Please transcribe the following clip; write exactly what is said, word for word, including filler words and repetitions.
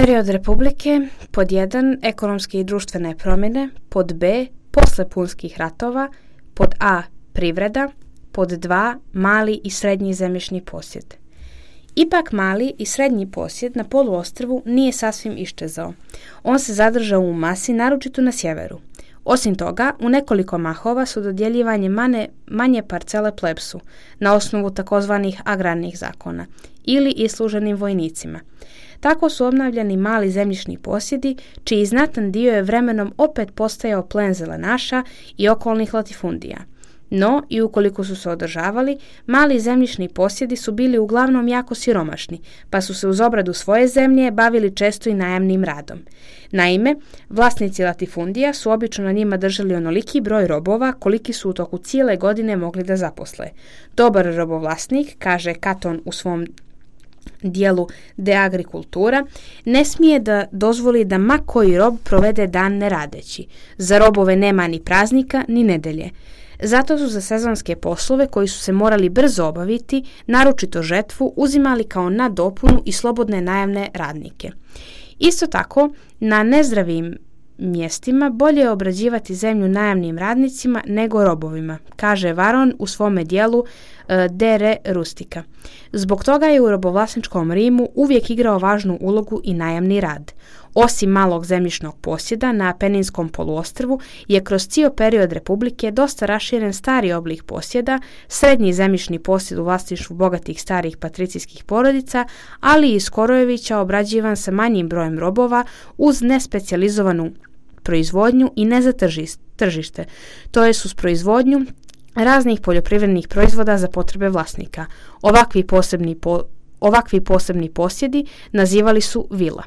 Period republike, pod jedan ekonomske i društvene promjene, pod B posle punskih ratova, pod A privreda, pod dva mali i srednji zemljišni posjed. Ipak mali i srednji posjed na poluostrvu nije sasvim iščezao. On se zadržao u masi, naročito na sjeveru. Osim toga, u nekoliko mahova su dodjeljivanje mane, manje parcele plebsu na osnovu takozvanih agrarnih zakona ili isluženim vojnicima. Tako su obnavljani mali zemljišni posjedi, čiji znatan dio je vremenom opet postajao plen zelenaša i okolnih latifundija. No, i ukoliko su se održavali, mali zemljišni posjedi su bili uglavnom jako siromašni, pa su se uz obradu svoje zemlje bavili često i najamnim radom. Naime, vlasnici latifundija su obično na njima držali onoliki broj robova koliki su u toku cijele godine mogli da zaposle. Dobar robovlasnik, kaže Katon u svom dijelu De Agricultura, ne smije da dozvoli da ma koji rob provede dan ne radeći. Za robove nema ni praznika ni nedelje. Zato su za sezonske poslove koji su se morali brzo obaviti, naročito žetvu, uzimali kao nadopunu i slobodne najamne radnike. Isto tako, na nezdravim mjestima bolje je obrađivati zemlju najamnim radnicima nego robovima, kaže Varon u svome dijelu e, De Re Rustica. Zbog toga je u robovlasničkom Rimu uvijek igrao važnu ulogu i najamni rad. Osim malog zemljišnog posjeda na Apeninskom poluostrvu je kroz cijel period republike dosta raširen stari oblik posjeda, srednji zemljišni posjed u vlasništvu bogatih starih patricijskih porodica, ali i Skorojevića obrađivan sa manjim brojem robova uz nespecijalizovanu proizvodnju i ne za tržište, to je uz proizvodnju raznih poljoprivrednih proizvoda za potrebe vlasnika. Ovakvi posebni, po, ovakvi posebni posjedi nazivali su vila.